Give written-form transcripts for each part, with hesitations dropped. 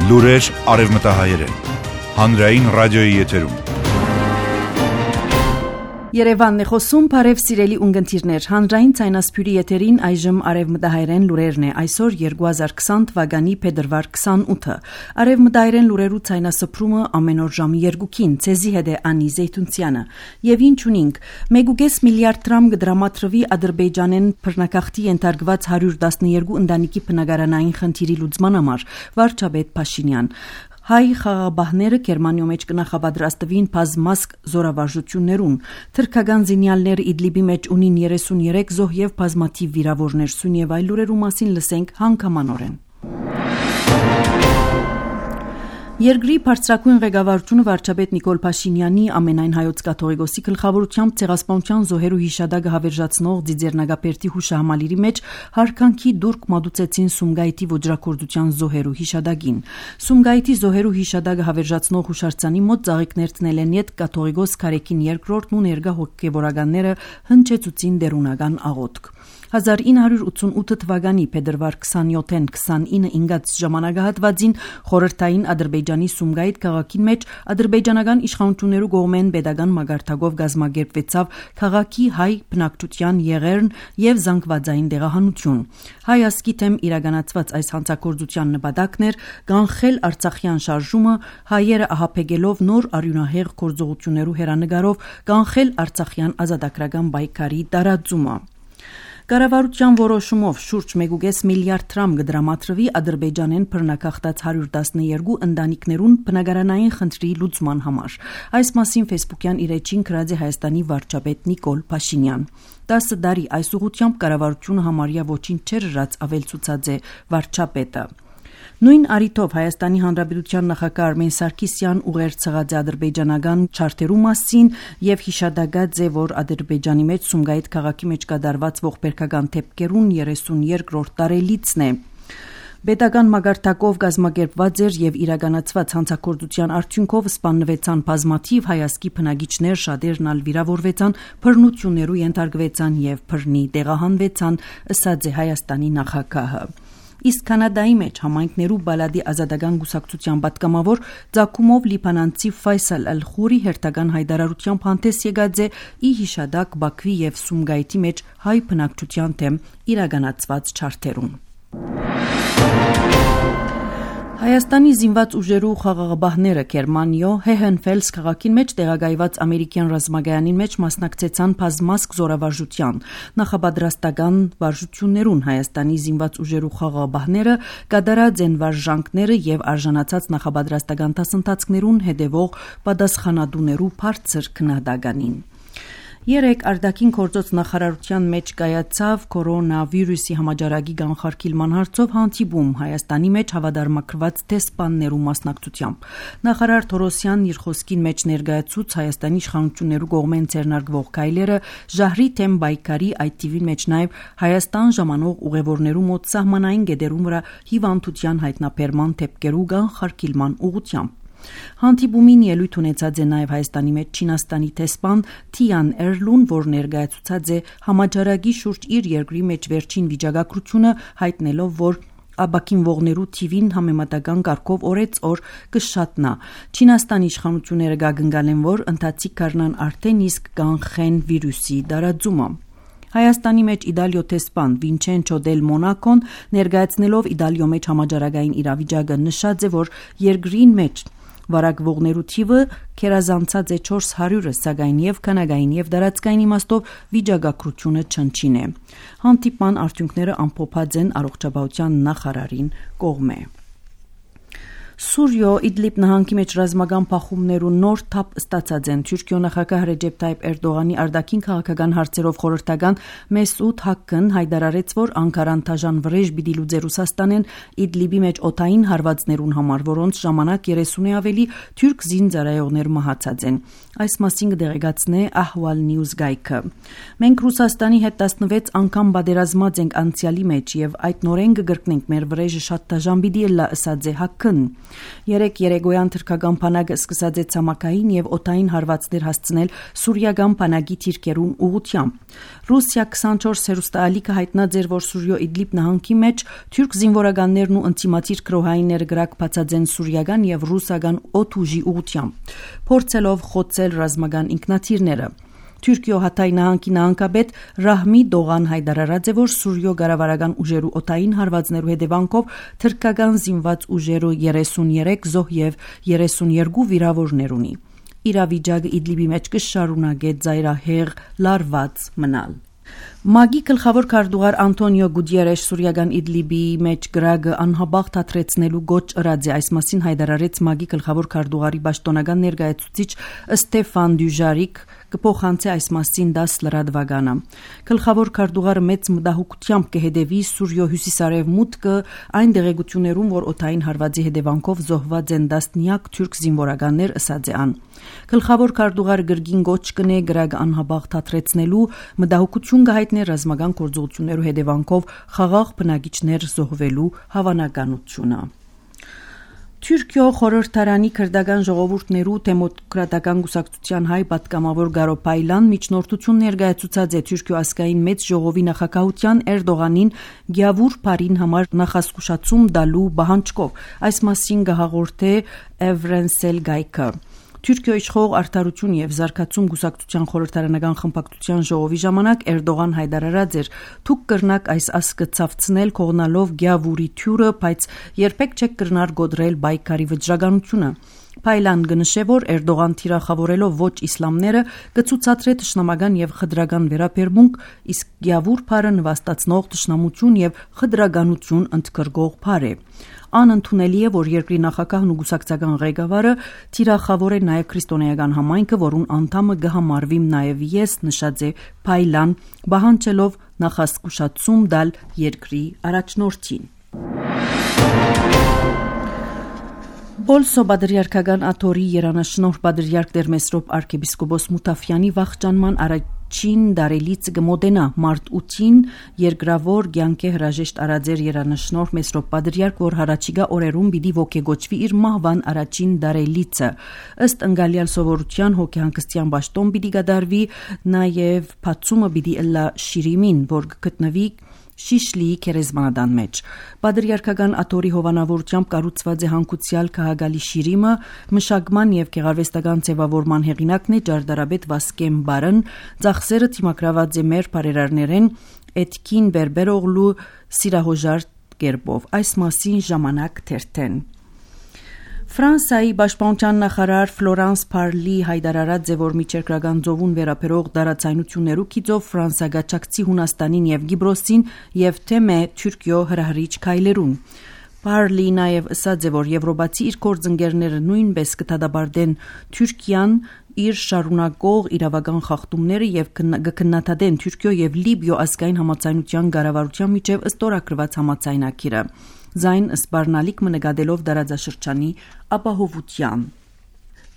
Լուրեր արևմտահայերեն։ Հանրային ռադիոյի եթերում։ Երևանն է խոսում, բարև սիրելի ունգընտիրներ, հանրային ցայնասփյուրի եթերին այժմ արևմտահայերեն լուրերն է, այսօր 2020 թվականի փետրվար 28-ը։ Արևմտահայերեն լուրերու ցայնասփրումը ամեն օր ժամի 2-ին, ցեզի հետ է Անի Զեյթունցյանը։ Եվ ինչ ունենք, 1.5 միլիարդ դրամ կդրամատրվի Ադրբեջանեն բռնակախտի ենթարկված 112 ընտանիքի բնակարանային խնդիրի լուծման համար, վարչապետ Փաշինյան։ Հայ խաղաղաբահները Գերմանիո մեջ կնախապատրաստվին բազմազգ զորավարժություններուն։ Թրքական զինյալները Իդլիբի մեջ ունին 33 զոհ եւ բազմաթիվ վիրավորներ, սուն եւ այլ լուրերու մասին լսենք հանգամանորեն։ Երկրի բարձրագույն ղեկավարությունը վարչապետ Նիկոլ Փաշինյանի ամենայն հայոց կաթողիկոսի գլխավորությամբ ցեղասպանության զոհերու հիշադակը հավերժացնող Ձիձեռնագապերտի հուշահամալիրի մեջ հարկանքի դուրք մատուցեցին Սումգայիթի ոճրակորձության զոհերու հիշադակին։ Սումգայիթի զոհերու հիշադակը հավերժացնող հուշարձանի մոտ ծաղիկներ տնել են յետ կաթողիկոս Քարեքին II-ն ու ներկա հոգևորականները հնչեցուցին դերունական աղոթք։ 1988 թվականի փետրվար 27-ին 29 ինգած ժամանակահատվածին խորհրդային Ադրբեջանի Սումգայիթ քաղաքին մեջ ադրբեջանական իշխանություններու կողմեն pedagogan մագարտակով գազմագերբվեցավ քաղաքի հայ բնակչության եղերն եւ զանգվածային դեղահանություն։ Հայ ազգի թեմ իրականացված այս հանցագործության նպատակն էր կանխել Արցախյան շարժումը, հայերը ահապեկելով նոր արյունահեղ գործողություններու հերանեկարով կանխել Արցախյան ազատագրական պայքարի տարածումը։ Կառավարության որոշումով շուրջ 1.5 միլիարդ դրամ կդրամատրվի Ադրբեջանեն բռնակախտած 112 ընտանիքներուն բնակարանային խնդրի լուծման համար։ Այս մասին Facebook-յան իր էջին գրած է Հայաստանի վարչապետ Նիկոլ Փաշինյան։ 10 տարի այս ուղղությամբ կառավարությունը համարյա ոչինչ չէր ըրած, ավելցուցած է վարչապետը։ Նույն առիթով Հայաստանի Հանրապետության նախագահ Արմեն Սարգսյան ուղերձած է ադրբեջանական չարտերու մասին եւ հիշադակած է, որ Ադրբեջանի մեջ Սումգայիթ քաղաքի մեջ կատարված ողբերգական դեպքերուն 32-րդ տարելիցն է։ Պետական մագարտակով գազմագերբված էր եւ իրականացված հանցագործության արդյունքով սպանվեցան բազմաթիվ հայազգի բնակիչներ, շատերն ալ վիրավորվեցան, բռնություններու ենթարկվեցան եւ բռնի տեղահանվեցան, ըսած է Հայաստանի նախագահը։ Իսկ Կանադայի մեջ համայնքներու բալադի ազատական գուսակցության պատգամավոր Ձակումով լիբանանցի Ֆայսալ Ալ-Խուրի հերթական հայտարարությամբ հանդես եկած է ի հիշադակ Բաքվի եւ Սումգայիթի մեջ հայ բնակչության թեմ իրականացված չարթերուն։ Հայաստանի զինված ուժերու խաղաղաբահները Գերմանիո Հեհենֆելս քաղաքին մեջ տեղակայված ամերիկյան ռազմագայանին մեջ մասնակցեցան բազմազգ զորավարժության նախապատրաստական վարժություններուն։ Հայաստանի զինված ուժերու խաղաղաբահները կատարած են վարժանքները եւ արժանացած նախապատրաստական դասընթացներուն հետևող պատասխանատուներու բարձր քննադատականին։ Երեք արտաքին գործոց նախարարության մեջ կայացավ կորոնավիրուսի համաճարակի կանխարգելման հարցով հանդիպում Հայաստանի մեջ հավատարմագրված դեսպաններու մասնակցությամբ։ Նախարար Թորոսյանն իր խոսքին մեջ ներկայացուց Հայաստանի իշխանություններու կողմեն ձեռնարկվող քայլերը ժահրի թեմ պայքարի, այդ թիվին մեջ նաև Հայաստան ժամանող ուղևորներու մոտ սահմանային գետերում վրա հիվանդության հայտնաբերման դեպքերու կանխարգելման ուղղությամբ։ Հանդիպումին ելույթ ունեցած է նաև Հայաստանի մեջ Չինաստանի դեսպան Թիան Էրլուն, որ ներկայացուցած է համաճարակի շուրջ իր երկրի մեջ վերջին վիճակագրությունը, հայտնելով, որ աբակինվողներու թիվին համեմատական կարգով օրեցօր կշատնա։ Չինաստանի իշխանությունները գագնգալեն, որ ընթացիկ կառնան արդեն իսկ կանխեն վիրուսի տարածումը։ Հայաստանի մեջ Իտալիո դեսպան Վինչենչո դել Մոնակոն ներկայացնելով Իտալիո մեջ համաճարակային իրավիճակը նշած է, որ երկրին մեջ վարակվողներու թիվը քերազանցած է 400-ը, սակայն եւ քանակային եւ դարածքային իմաստով վիճակագրությունը չնչին է։ Հանդիպման արդյունքները ամփոփած են առողջապահության նախարարին կողմէ։ Սուրիո Իդլիբ նահանգի մեջ ռազմական փախումներու նոր թափ ստացած են։ Թուրքիո նախագահ Ռեջեփ Թայիփ Էրդողանի արտաքին քաղաքական հարցերով խորհրդական Մեսուդ Հակկն հայտարարեց, որ Անկարան դաժան վրեժ պիտի լուծի Ռուսաստանեն Իդլիբի մեջ օդային հարվածներուն համար, որոնց ժամանակ 30-ի ավելի թուրք զինծառայողներ մահացած են։ Այս մասին կդեղեկացնե Ahval News գայքը։ Մենք Ռուսաստանի հետ 16 անգամ պատերազմած ենք անցյալի մեջ եւ այդ նորեն կգրկնենք մեր վրեժը շատ դաժան պիտի լա, ըսած է Հակկն։ Երեկ երեկոյան թրքական բանակը սկսած է ցամաքային եւ օդային հարվածներ հասցնել սուրիական բանակի թիրքերուն ուղղությամբ։ Ռուսիա 24 հեռուստաալիքը հայտնած էր, որ Սուրիո Իդլիբ նահանգի մեջ թուրք զինվորականներն ու ընտիմատիր գրոհայինները գրակ բացած են սուրիական եւ ռուսական օդուժի ուղղությամբ, փորձելով խոցել ռազմական ինքնաթիռները։ Թուրքիո Հաթայ նահանգի նահանգապետ Ռահմի Դողան հայտարարած է, որ Սուրիո գարավարական ուժերու օդային հարվածներու հետևանքով թրքական զինված ուժերու 33 զոհ եւ 32 վիրավորներ ունի։ Իրավիճակը Իդլիբի մեջ կշարունակե ծայրահեղ լարված մնալ։ ՄԱԳ-ի գլխավոր քարտուղար Անտոնիո Գուտիերեշ Սուրիական Իդլիբի մեջ գրագը անհաբաղ թատրեցնելու գոչ ըրած է, այս մասին հայտարարեց ՄԱԳ-ի գլխավոր քարտուղարի պաշտոնական ներկայացուցիչ Ստեֆան Դյուժարիկ կփոխանցի այս մասին 10 լրատվականը։ Գլխավոր քարտուղարը մեծ մտահոգությամբ կհետևի Սուրիո հյուսիսարևմուտքը այն դեղեցություններում, որ օդային հարվածի հետևանքով զոհված են տասնյակ թուրք զինվորականներ, ըսած է ան։ Գլխավոր քարտուղարը գրգին գոչ կնե գրագը անհաբաղ թատրեցնելու մտահոգություն կհայտներ ռազմական գործողություններու հետևանքով խաղաղ բնակիչներ զոհվելու հավանականությունը։ Թուրքիո խորհրդարանի քրդական ժողովուրդներու դեմոկրատական կուսակցության հայ պատգամավոր Գարո Պայլան միջնորդություն ներկայացուցած է Թուրքիո ազգային մեծ ժողովի նախագահության Էրդողանին գյավուր բարին համար նախազգուշացում դալու պահանջկով։ Այս մասին կհաղորդե Էվրենսել Գայքը։ Թուրքիո իշխող արդարություն եւ զարգացում գուսակցության խորհրդարանական խմբակցության ժողովի ժամանակ Էրդողան հայտարարած էր. «Դուք կրնակ այս ասկը ցավցնել կողնալով գյավուրի թյուրը, բայց երբեք չեք կրնար գոդրել բայկարի վճռականությունը»։ Պայլան կնշե, որ Էրդողան թիրախավորելով ոչ իսլամները կցուցադրե թշնամական եւ խդրական վերաբերմունք, իսկ գյավուր բարը նվաստացնող թշնամություն եւ խդրականություն ընդգրկող բառ է։ Անընդունելի է, որ երկրի նախագահն ու գուսակցական ղեկավարը թիրախավոր է նաև քրիստոնեական համայնքը, որուն անդամը կհամարվիմ նաև ես, նշած է Պայլան, պահանջելով նախազգուշացում տալ երկրի առաջնորդին։ Բոլսո Բադրիարքական աթոռի երանաշնորհ Բադրիարք Դերմեսրոպ arczepiskopos Մութաֆյանի վախճանման առաջին դարելից կմոտենա մարտ 8-ին երկրավոր կյանքի հրաժեշտ արածեր երանաշնորհ Մեսրոպ Բադրիարք, որ հարաճիգա օրերում պիտի ոգեգոճվի իր մահվան առաջին դարելիցը։ Ըստ ընկալյալ սովորության հոգեհանգստյան պաշտոն պիտի կատարվի, նաև բացումը պիտի ըլլա Շիրիմին, որ գտնվի Շիշլիի քերեզմանադան մեջ։ Բադրիարքական աթոռի հովանավորությամբ կառուցված է հանգուցյալ քահագալի Շիրիմը, մշակման եւ գեղարվեստական ձևավորման հեղինակն է Ջարդարաբեդ Վասկեմ Բարն, ծախսերը թիմակրաված է մեր բարերարներեն Էդքին Բերբերօղլու սիրահոժար կերպով։ Այս մասին ժամանակ թերթեն։ Ֆրանսիայի պաշտպանության նախարար Ֆլորանս Փարլի հայտարարած է, որ միջերկրական ծովուն վերաբերող դարացայնություններու գիծով Ֆրանսիա գաչակցի Հունաստանին եւ Գիբրոսին եւ թեմե Թուրքիո հրահրիչ քայլերուն։ Փարլի նաև ասաց է, որ եվրոպացի իր գործընկերները նույնպես կդադարեն Թուրքիան իր շարունակող իրավական խախտումները եւ կքննադատեն Թուրքիո եւ Լիբիո ազգային համաձայնության կառավարության միջև ստորագրված համաձայնագիրը։ Զայն սպառնալիք մնկադելով դարաձաշրջանի ապահովության։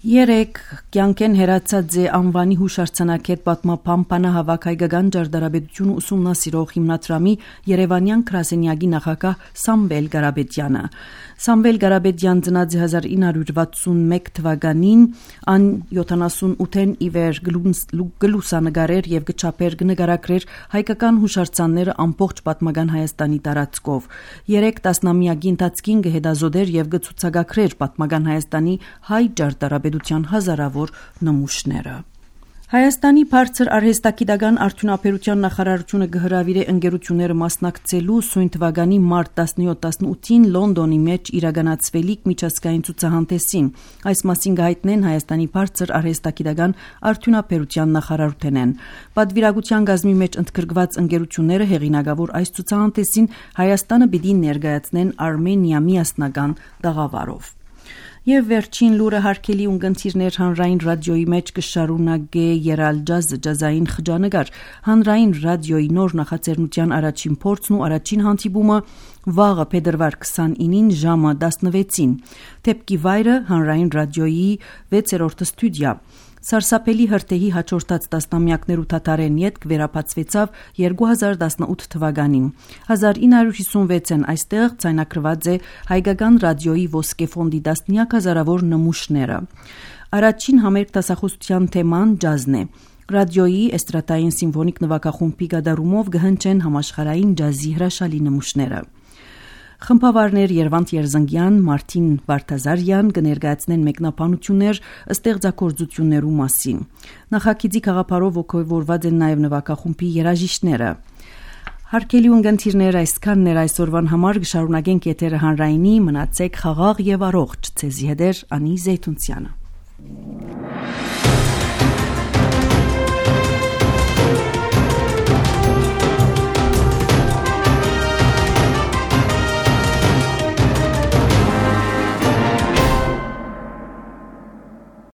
Երեկ կյանքեն հերացած է անվանի հուշարձանակետ պատմապան Պանահավաք հայկական ջարդարաբեդությունը ուսումնասիրող հիմնադրամի Երևանյան գրասենյակի նախագահ Սամվել Գարաբեդյանը։ Սամվել Գարաբեդյան ծնած 1961 թվականին, ան 78-ին իվեր գլուսանկարեր եւ գչափեր նկարագրեր հայկական հուշարձանները ամբողջ պատմական Հայաստանի տարածքով։ 3 տասնամյակի ընթացքին գհետազոտեր եւ գցուցակագրեր պատմական Հայաստանի հայ ջարդարաբեդության հազարավոր նմուշները։ Հայաստանի բարձր արհեստագիտական արդյունաբերության նախարարությունը կհրավիրե ընկերությունները մասնակցելու սույն թվականի մարտ 17-18-ին Լոնդոնի մեջ իրականացվելիք միջազգային ցուցահանդեսին։ Այս մասին կհայտնեն Հայաստանի բարձր արհեստագիտական արդյունաբերության նախարարութենեն։ Պատվիրակության գազմի մեջ ընդգրկված ընկերությունները հեղինակավոր այս ցուցահանդեսին Հայաստանը պիտի ներկայացնեն Արմենիա միասնական տաղավարով։ Եվ վերջին լուրը հարկելի ունգընթիրներ հանրային ռադիոյի մեջ կշարունակե երալ ջազային խճանկար։ Հանրային ռադիոյի նոր նախաձեռնության առաջին փորձն ու առաջին հանդիպումը վաղը փետրվար 29-ին ժամը 16-ին։ Թեփքի վայրը հանրային ռադիոյի 6-րդ ստուդիա։ Սարսափելի հրթեհի հաջորդած տասնամյակներու թաթարեն ետք վերապացվեցավ 2018 թվականին։ 1956-ն այստեղ ձայնագրված է հայկական ռադիոյի ոսկե ֆոնդի տասնյակ հազարավոր նմուշները։ Առաջին համերգ դասախոսության թեման ջազն է։ Ռադիոյի էստրադային սիմֆոնիկ նվագախումբի գդարումով գհնչեն համաշխարհային ջազի հրաշալի նմուշները։ Խմբավարներ Երվանդ Երզնգյան, Մարտին Վարդազարյան կներկայացնեն մեկնաբանություններ ստեղծագործություններու մասին։ Նախագիծի գաղափարով ողջորված են նաև նվագախումբի երաժիշտները։ Հարկելի ունգընթիրներ այսքանն էր այսօրվան համար կշարունակենք եթերը հանրայինի մնացեք խաղաղ եւ առողջ ցեզի հետ Անի Զեյթունցյանը։